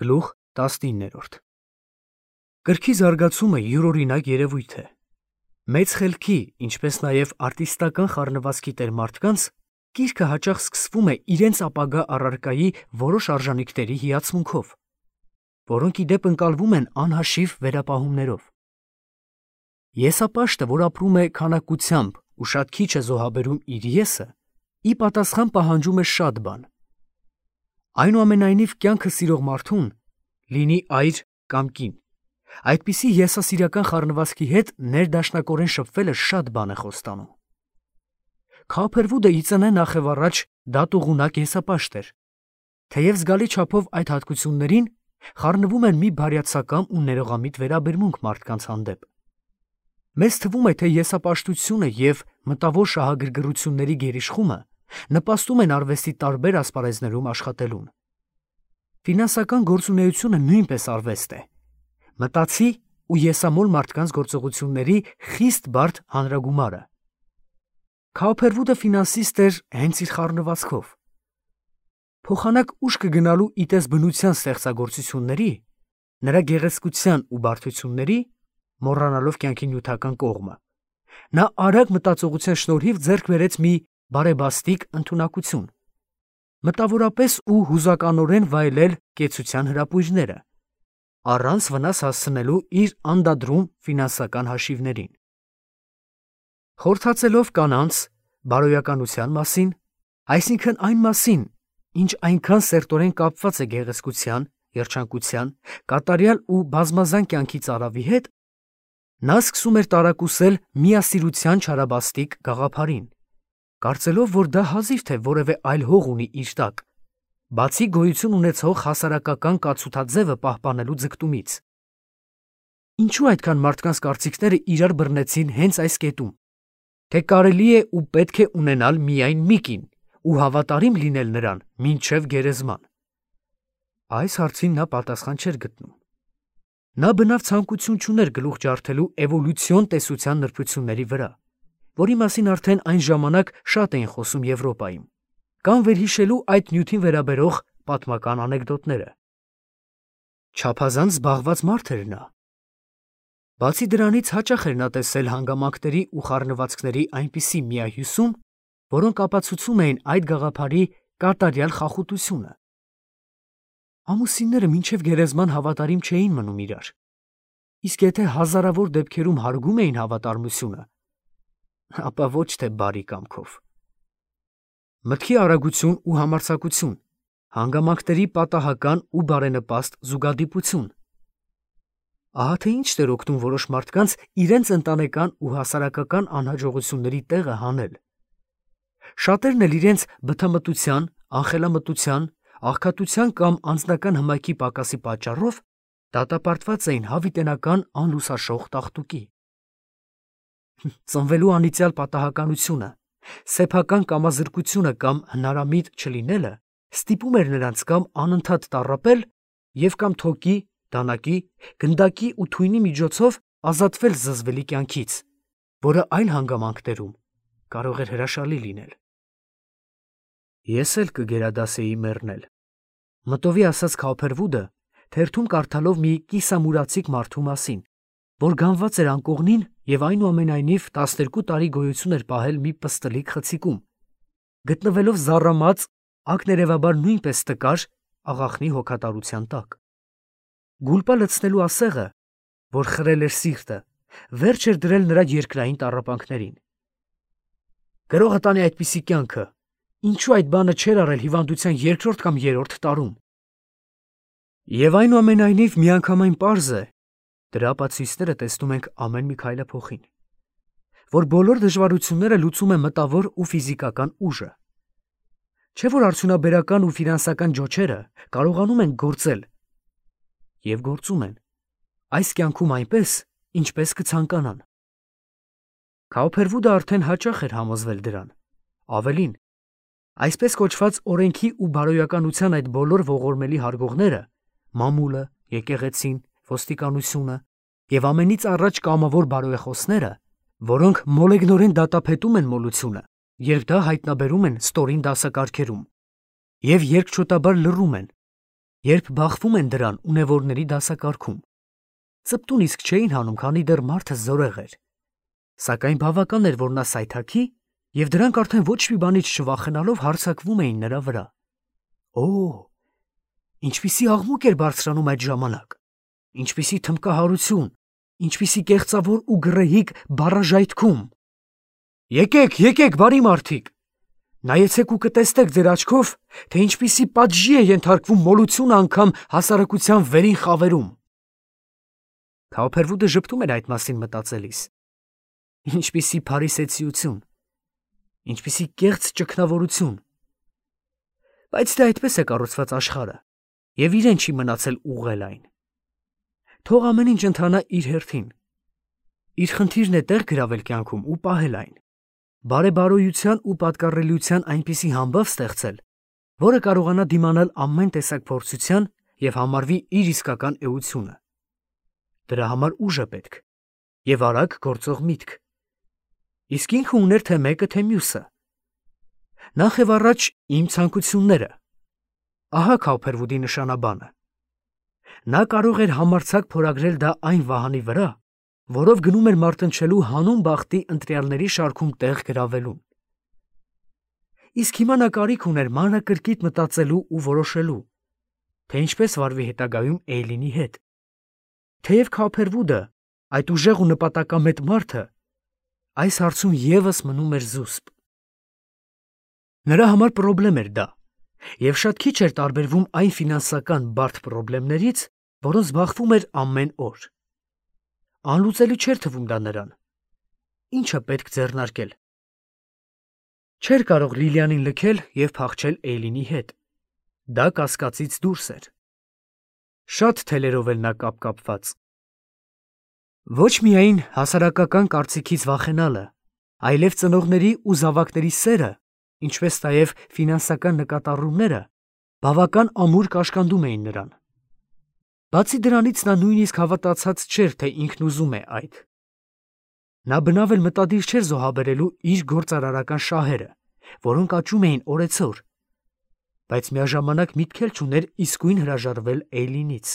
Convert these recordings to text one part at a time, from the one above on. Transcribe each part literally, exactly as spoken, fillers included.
Գլուխ տասնիններորդ Կրքի զարգացումը յուրօրինակ երևույթ է։ Մեծ խելքի, ինչպես նաև արտիստական խառնվածքի տեր մարդկանց կիրքը հաճախ սկսվում է իրենց ապագա առարկայի որոշ արժանիքների հիացմունքով, որոնք ի դեպ ընկալվում են անհաշիվ վերապահումներով։ Եսապաշտը, որ ապրում է քանակությամբ ու շատ քիչ է զոհաբերում իր եսը, ի պատասխան պահանջում է շատ բան։ Այնուամենայնիվ կյանքը սիրող մարդուն, լինի այր կամ կին, այդպիսի եսասիրական խառնվածքի հետ ներդաշնակորեն շփվելը շատ բան է խոստանում։ Քափերվուդը ի ծնե նախևառաջ դատուղունակ եսապաշտ էր, թեև զգալի չափով այդ հատկություններին խառնվում էր մի բարյացակամ ու ներողամիտ վերաբերմունք մարդկանց հանդեպ։ Մեզ թվում է, թե եսապաշտությունը և մտավոր շահագրգռությունների գերիշխումը նպաստում են արվեստի տարբեր ասպարեզներում աշխատելուն։ Ֆինանսական գործունեությունը նույնպես արվեստ է, մտածի ու եսամոլ մարդկանց գործողությունների խիստ բարդ հանրագումարը։ Քափերվուդը ֆինանսիստ էր հենց իր խառնվածքով։ Փոխանակ ուշ կգնալու իտես բնության ստեղծագործությունների, նրա գեղեցկության ու բարդությունների, մոռանալով կյանքի նյութական կողմը, նա արագ մտածողության շնորհիվ ձեռք բերեց մի բարեբաստիկ ընդունակություն, մտավորապես ու հուզականորեն վայելել կեցության հրապույրները, առանց վնաս հասցնելու իր անդադրում ֆինանսական հաշիվներին։ Խորհրդածելով կանանց բարոյականության մասին, այսինքն այն մասին, ինչ այնքան սերտորեն կապված է գեղեցկության, երջանկության, կատարյալ ու բազմազան կյանքի ծարավի հետ, նա սկսում էր տարակուսել միասիրության չարաբաստիկ գաղափարին, կարծելով, որ դա հազիվ թե որևէ այլ հող ունի իր տակ, բացի գոյություն ունեցող հասարակական կացութաձևը պահպանելու ձգտումից։ Ինչու այդքան մարդկանց կարծիքները իրար բռնեցին հենց այս կետում, թե կարելի է ու պետք է ունենալ միայն մի կին ու հավատարիմ լինել նրան մինչև գերեզման։ Այս հարցին նա պատասխան չէր գտնում։ Նա բնավ ցանկություն չուներ գլուխ ջարդելու էվոլյուցիոն տեսության նրբությունների վրա, որի մասին արդեն այն ժամանակ շատ էին խոսում Եվրոպայում, կամ վերհիշելու այդ նյութին վերաբերող պատմական անեկդոտները։ Չափազանց զբաղված մարդ էր նա։ Բացի դրանից հաճախ էր նա տեսել հանգամանքների ու խառնվածքների այնպիսի միահյուսում, որոնք ապացուցում էին այդ գաղափարի կատարյալ խախուտությունը։ Ամուսինները մինչև գերեզման հավատարիմ չէին մնում իրար, իսկ եթե հազարավոր դեպքերում հարգում էին հավատարմությունը, ապա ոչ թե բարի կամքով։ Մտքի արագություն ու համարձակություն, հանգամանքների պատահական ու բարենպաստ զուգադիպություն։ Ահա թե ինչ էր օգնում որոշ մարդկանց իրենց ընտանեկան ու հասարակական անհաջողությունների տեղը հանել։ Շատերն էլ իրենց բթամտության, անխելամտության, աղքատության կամ անձնական հմայքի պակասի պատճառով դատապարտված էին հավիտենական անլուսաշող տաղտուկի։ Ծնվելու անիծյալ պատահականությունը, սեփական կամազրկությունը կամ հնարամիտ չլինելը ստիպում էր նրանց կամ անընդհատ տառապել և կամ թոկի, դանակի, գնդակի ու թույնի միջոցով ազատվել զզվելի կյանքից, որը այլ հանգամանքներում կարող էր հրաշալի լինել։ Ես էլ կգերադասեի մեռնել, մտովի ասաց Քափերվուդը, թերթում կարդալով մի կիսամուրացիկ մարդու մասին, որ գանված էր անկողնին և այնուամենայնիվ տասներկու տարի գոյություն էր պահել մի պստլիկ խցիկում, գտնվելով զառամած, ակներևաբար նույնպես տկար աղախնի հոգատարության տակ։ Գուլպա լցնելու ասեղը, որ խրել էր սիրտը, վերջ էր դրել նրա երկրային տառապանքներին։ Գրողը տանի այդպիսի կյանքը, ինչու այդ բանը չէր արել հիվանդության երկրորդ կամ երրորդ տարում։ Եվ այնուամենայնիվ միանգամայն պարզ է, դրա ապացույցները տեսնում ենք ամեն մի քայլափոխին, որ բոլոր դժվարությունները լուծում է մտավոր ու ֆիզիկական ուժը։ Չէ՞ որ արդյունաբերական ու ֆինանսական ջոչերը կարողանում են գործել և գործում են այս կյանքում այնպես, ինչպես կցանկանան։ Քափերվուդը արդեն հաճախ էր համոզվել դրան։ Ավելին, այսպես կոչված օրենքի ու բարոյականության այդ բոլոր ողորմելի հարգողները, մամուլը, եկեղեցին, ոստիկանությունը և ամենից առաջ կամավոր բարոյախոսները, որոնք մոլեգնորեն դատապետում են մոլությունը, երբ դա հայտնաբերում են ստորին դասակարգերում, և երկչոտաբար լռում են, երբ բախվում են դրան ունևորների դասակարգում։ Ծպտուն իսկ չէին հանում, քանի դեռ մարդը զորեղ էր։ Սակայն բավական էր, որ նա սայթաքի, և դրանք արդեն ոչ մի բանից չվախենալով հարձակվում էին նրա վրա։ Օ, ինչպիսի աղմուկ էր բարձրանում այդ ժամանակ, ինչպիսի թմբկահարություն, ինչպիսի կեղծավոր ու գռեհիկ բառաժայթքում։ Եկեք, եկեք, բարի մարդիկ, նայեցեք ու կտեսնեք ձեր աչքով, թե ինչպիսի պատժի է ենթարկվում մոլությունը անգամ հասարակության վերին խավերում։ Քաոփերվուդը ժպտում էր այդ մասին մտածելիս։ Ինչպիսի փարիսեցիություն, ինչպիսի կեղծ ճգնավորություն։ Բայց դե այդպես է կառուցված աշխարհը, և իրեն չի մնացել ուղղել այն։ Թող ամեն ինչ ընթանա իր հերթին։ Իր խնդիրն է տեղ գրավել կյանքում ու պահել այն։ Բարեբարոյության ու պատկառելիության այնպիսի համբավ ստեղծել, որը կարողանա դիմանալ ամեն տեսակ փորձության և համարվի իր իսկական էությունը։ Դրա համար ուժ է պետք և արագ գործող միտք։ Իսկ ինքը ուներ թե մեկը, թե մյուսը։ Նախ և առաջ իմ ցանկությունները։ Ահա Քաոփերվուդի նշանաբանը։ Նա կարող էր համարձակ փորագրել դա այն վահանի վրա, որով գնում էր մարտնչելու հանուն բախտի ընտրյալների շարքում տեղ գրավելուն։ Իսկ հիմա նա կարիք ուներ մանրակրկիտ մտածելու ու որոշելու, թե ինչպես վարվի հետագայում Էյլինի հետ։ Թեև Քաոփերվուդը, այդ ուժեղ ու նպատակամետ մարդը, այս հարցում ևս մնում էր զուսպ։ Նրա համար պրոբլեմ էր դա, և շատ քիչ էր տարբերվում այն ֆինանսական բարդ պրոբլեմներից, որոնց բախվում էր ամեն օր։ Անլուծելի չէր թվում դա նրան։ Ի՞նչը պետք ձեռնարկել։ Չէր կարող Լիլիանին լքել և փախչել Էյլինի հետ։ Դա կասկածից դուրս էր։ Շատ թելերով էլ նա կապկապված։ Ոչ միայն հասարակական կարծիքից վախենալը, այլև ծնողների ու զավակների սերը, ինչպես նաև ֆինանսական նկատառումները բավական ամուր կաշկանդում էին նրան։ Բացի դրանից նա նույնիսկ հավատացած չէր, թե ինքն ուզում է այդ։ Նա բնավ էլ մտադիր չէր զոհաբերելու իր գործարարական շահերը, որոնք աճում էին օրեցօր, բայց միաժամանակ միտք էլ չուներ իսկույն հրաժարվել Էյլինից։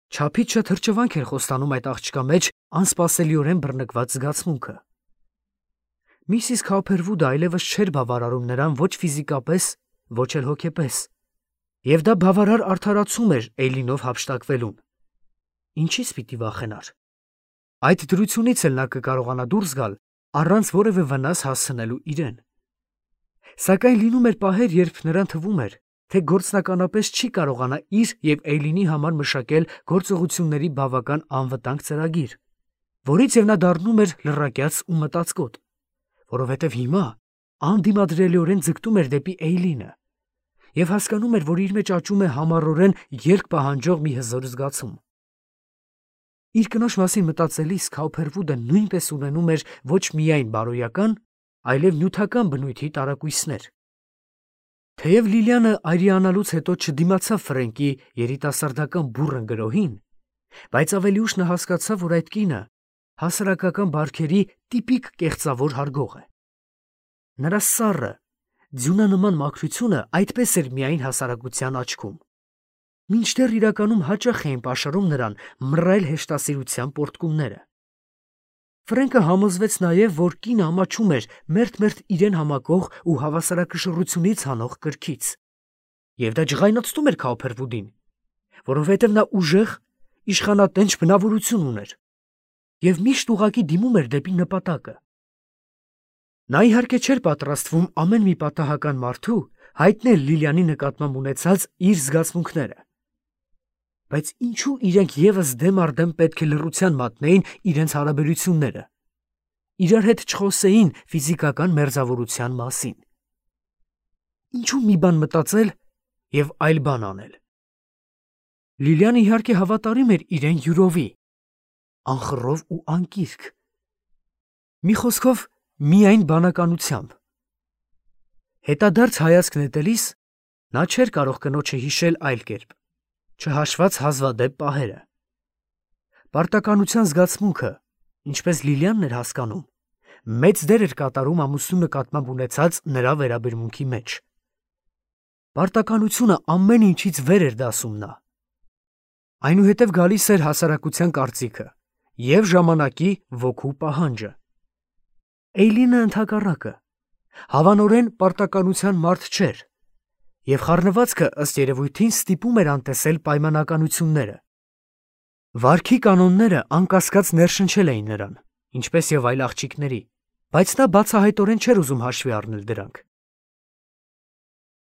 Չափից շատ հրճվանք էր խոստանում այդ աղջկա մեջ անսպասելիորեն բռնկված զգացմունքը։ Միսիս Քաոփերվուդը այլևս չէր բավարարում նրան ոչ ֆիզիկապես, ոչ էլ հոգեպես, և դա բավարար արդարացում էր Էյլինով հափշտակվելուն։ Ինչից պիտի վախենար։ Այդ դրությունից էլ նա կկարողանա դուրս գալ առանց որևէ վնաս հասցնելու իրեն։ Սակայն լինում էր պահեր, երբ նրան թվում էր, թե գործնականապես չի կարողանա իր և Էյլինի համար մշակել գործողությունների բավական անվտանգ ծրագիր, որից և նա դառնում էր լռակյաց ու մտածկոտ, որովհետև հիմա անդիմադրելիորեն ձգտում էր դեպի Էյլինը և հասկանում էր, որ իր մեջ աճում է համառորեն երկ պահանջող մի հզոր զգացում։ Իր կնոջ մասին մտածելիս Քաոփերվուդը նույնպես ունենում էր ոչ միայն բարոյական, այլև նյութական բնույթի տարակույսներ։ Թեև Լիլիանը այրիանալուց հետո չդիմացավ Ֆրենկի երիտասարդական բուռն գրոհին, բայց ավելի ուշ նա հասկացավ, որ այդ կինը հասարակական բարքերի տիպիկ կեղծավոր հարգող է։ Նրա սառը, ձյունանման մաքրությունը այդպես էր միայն հասարակության աչքում, մինչդեռ իրականում հաճախ էին պաշարում նրան մռայլ հեշտասիրության պոռթկումները։ Ֆրենկը համոզվեց նաև, որ կինը ամաչում էր մերթ-մերթ իրեն համակող ու հավասարակշռությունից հանող կրքից, և դա ջղայնացնում էր Քաոփերվուդին, որովհետև նա ուժեղ, իշխանատենչ բնավորություն ուներ և միշտ ուղղակի դիմում էր դեպի նպատակը։ Նա իհարկե չէր պատրաստվում ամեն մի պատահական մարդու հայտնել Լիլիանի նկատմամբ ունեցած իր զգացմունքները, բայց ինչու իրենք ևս դեմ առ դեմ պետք է լռության մատնեին իրենց հարաբերությունները, իրար հետ չխոսեին ֆիզիկական մերձավորության մասին։ Ինչու մի բան մտածել և այլ բան անել։ Լիլիանը իհարկե հավատարիմ էր իրեն յուրովի, անխռով ու անկիրք։ Մի խոսքով, միայն բանականությամբ։ Հետադարձ հայացք նետելիս նա չէր կարող կնոջը հիշել այլ կերպ, չհաշված հազվադեպ պահերը։ Պարտականության զգացմունքը, ինչպես Լիլիանն էր հասկանում, մեծ դեր էր կատարում ամուսնու նկատմամբ ունեցած նրա վերաբերմունքի մեջ։ Պարտականությունը ամեն ինչից վեր էր դասում նա։ Այնուհետև գալիս էր հասարակության կարծիքը և ժամանակի ոգու պահանջը։ Էյլինը ընդհակառակը, հավանորեն պարտականության մարդ չէր, և խառնվածքը ըստ երևույթին ստիպում էր անտեսել պայմանականությունները։ Վարքի կանոնները անկասկած ներշնչել էին նրան, ինչպես և այլ աղջիկների, բայց նա բացահայտորեն չէր ուզում հաշվի առնել դրանք։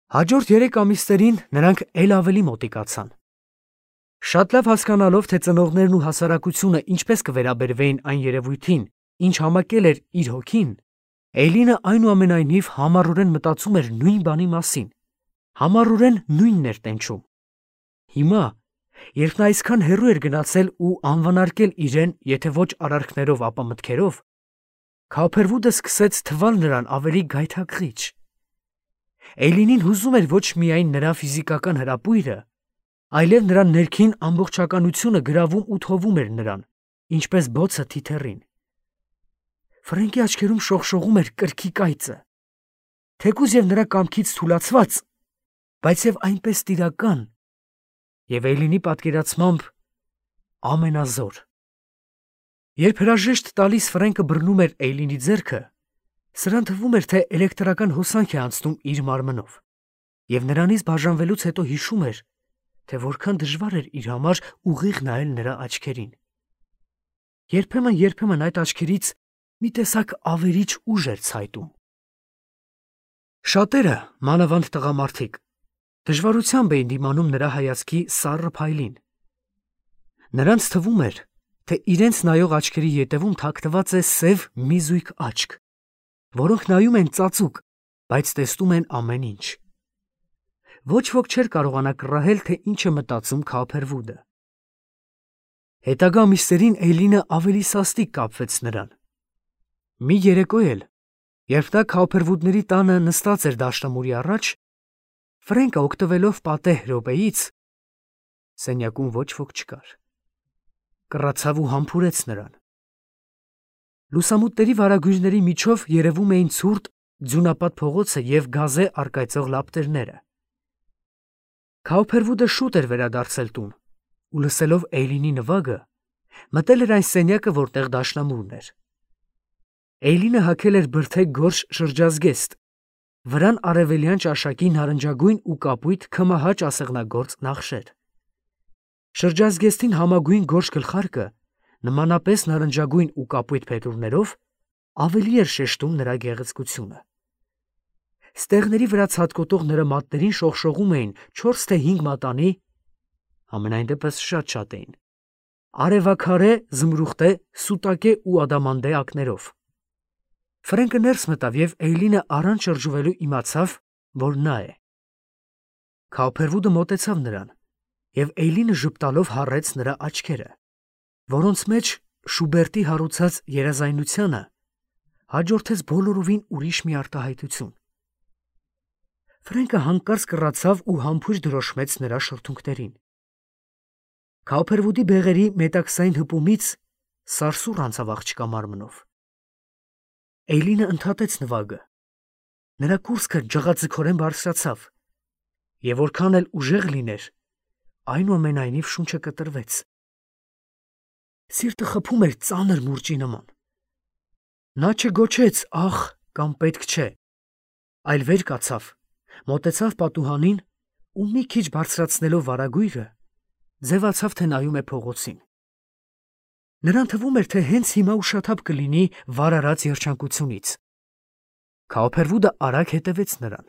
Հաջորդ երեք ամիսներին նրանք էլ ավելի մոտիկացան։ Շատ լավ հասկանալով, թե ծնողներն ու հասարակությունը ինչպես կվերաբերվեին այն երևույթին, ինչ համակել էր իր հոգին, Էյլինը այնուամենայնիվ համառորեն մտածում էր նույն բանի մասին, համառորեն նույնն էր տենչում։ Հիմա, երբ նա այսքան հեռու էր գնացել ու անվանարկել իրեն, եթե ոչ արարքներով, ապա մտքերով, Քոուփերվուդը սկսեց թվալ նրան ավելի գայթակղիչ։ Էյլինին հուզում էր ոչ միայն նրա ֆիզիկական հրապույրը, այլև նրա ներքին ամբողջականությունը գրավում ու թովում էր նրան, ինչպես բոցը թիթեռին։ Ֆրենկի աչքերում շողշողում էր կրքի կայծը, թեկուզ և նրա կամքից թուլացված, բայց և այնպես տիրական, և Էյլինի պատկերացմամբ ամենազոր։ Երբ հրաժեշտ տալիս Ֆրենկը բռնում էր Էյլինի ձեռքը, սրան թվում էր, թե էլեկտրական հոսանք է անցնում իր մարմնով, և նրանից բաժանվելուց հետո հիշում էր, թե որքան դժվար էր իր համար ուղիղ նայել նրա աչքերին։ Երբեմն-երբեմն այդ աչքերից մի տեսակ ավերիչ ուժ էր ցայտում։ Շատերը, մանավանդ տղամարդիկ, դժվարությամբ էին դիմանում նրա հայացքի սառը փայլին։ Նրանց թվում էր, թե իրենց նայող աչքերի ետևում թաքնված է սև մի զույգ աչք, որոնք նայում են ծածուկ, բայց տեսնում են ամեն ինչ։ Ոչ ոք չէր կարողանա կռահել, թե ինչ է մտածում Քոուփերվուդը։ Հետագա ամիսներին Էյլինը ավելի սաստիկ կապվեց նրան։ Մի երեկո էլ, երբ նա Քոուփերվուդների տանը նստած էր դաշնամուրի առաջ, Ֆրենկը օգտվելով պատեհ րոպեից (սենյակում ոչ ոք չկար) կռացավ ու համբուրեց նրան։ Լուսամուտների վարագույրների միջով երևում էին ցուրտ ձյունապատ փողոցը և գազե առկայծող լապտերները։ Քոուփերվուդը շուտ էր վերադարձել տուն ու, լսելով Էյլինի նվագը, մտել էր այն սենյակը, որտեղ դաշնամուրն էր։ Էյլինը հագել էր բրդե գորշ շրջազգեստ, վրան արևելյան ճաշակի նարնջագույն ու կապույտ քմահաճ ասեղնագործ նախշեր։ Շրջազգեստին համագույն գորշ գլխարկը, նմանապես նարնջագույն ու կապույտ փետուրներով, ավելի էր շեշտում նրա գեղեցկությունը։ Ստեղների վրա ցատկոտող նրա մատներին շողշողում էին չորս թե հինգ մատանի (համենայն դեպս շատ-շատ էին) արևաքարե, զմրուխտե, սուտակե ու ադամանդե ակներով։ Ֆրենկը ներս մտավ, և Էյլինը առանց շրջվելու իմացավ, որ նա է։ Քոուփերվուդը մոտեցավ նրան, և Էյլինը ժպտալով հառեց նրա աչքերը, որոնց մեջ Շուբերտի հարուցած երազայնությանը հաջորդեց բոլորովին ուրիշ մի արտահայտություն։ Ֆրենկը հանկարծ կռացավ ու համբույր դրոշմեց նրա շրթունքներին։ Քոուփերվուդի բեղերի մետաքսային հպումից սարսուռ անցավ աղջկա մարմնով։ Էյլինը ընդհատեց նվագը։ Նրա կուրծքը ջղաձգորեն բարձրացավ, և որքան էլ ուժեղ լիներ, այնուամենայնիվ շունչը կտրվեց։ Սիրտը խփում էր ծանր մուրճի նման։ Նա չգոչեց «ախ» կամ «պետք չէ», այլ վեր կացավ, մոտեցավ պատուհանին ու մի քիչ բարձրացնելով վարագույրը, ձևացավ, թե նայում է փողոցին։ Նրան թվում էր, թե հենց հիմա ուշաթափ կլինի վարարած երջանկությունից։ Քոուփերվուդը արագ հետևեց նրան։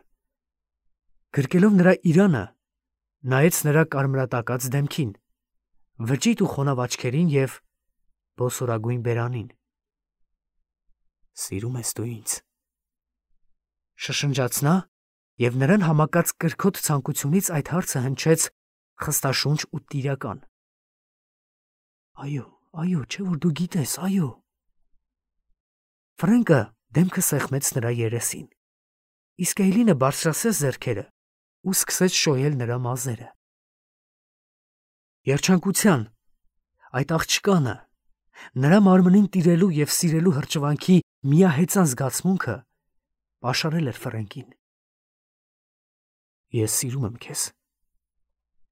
Գրկելով նրա իրանը, նայեց նրա կարմրատակած դեմքին, վճիտ ու խոնավ աչքերին և բոսորագույն բերանին։ «Սիրում ես դու ինձ», շշնջաց նա, և նրան համակած կրքոտ ցանկությունից այդ հարցը հնչեց խստաշունչ ու տիրական։ «Այո, այո, չէ՞ որ դու գիտես, այո»։ Ֆրենկը դեմքը սեղմեց նրա երեսին, իսկ Էյլինը բարձրացրեց ձեռքերը ու սկսեց շոյել նրա մազերը։ Երջանկության, այդ աղջկանը, նրա մարմնին տիրելու և սիրելու հրճվանքի միահեծան զգացմունքը պաշարել էր Ֆրենկին։ Ես սիրում եմ քեզ։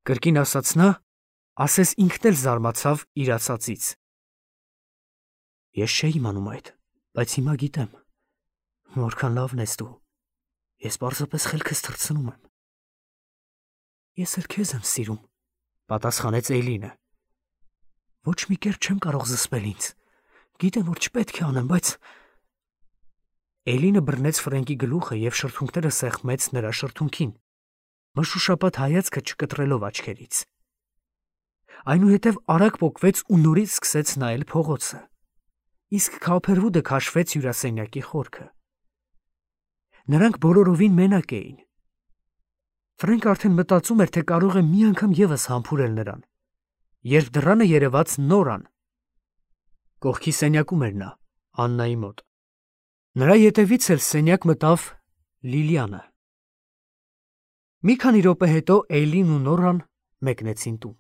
Կրկին ասաց նա, ասես ինքն էլ զարմացավ իր ասածից։ Ես չէի իմանում այդ, բայց հիմա գիտեմ։ Որքան լավն ես դու։ Ես պարզապես խելքս թռցնում եմ։ Ես էլ քեզ եմ սիրում, պատասխանեց Էյլինը։ Ոչ մի կերպ չեմ կարող զսպել ինձ։ Գիտեմ, որ չպետք է անեմ, բայց… Էյլինը բռնեց Ֆրենկի գլուխը և շրթունքները սեղմեց նրա շրթունքին, մշուշապատ հայացքը չկտրելով աչքերից։ Այնուհետև արագ պոկվեց ու նորից սկսեց նայել փողոցը, իսկ Քոփերվուդը քաշվեց հյուրասենյակի խորքը։ Նրանք բոլորովին մենակ էին։ Ֆրենկը արդեն մտածում էր, թե կարող է մի անգամ ևս համբուրել նրան, երբ դռանը երևաց Նորան։ Կողքի սենյակում էր նա, Աննայի մոտ։ Նրա ետևից էլ սենյակ մտավ Լիլիանը։ Մի քանի րոպե հետո Էյլին ու Նորան մեկնեցին տուն։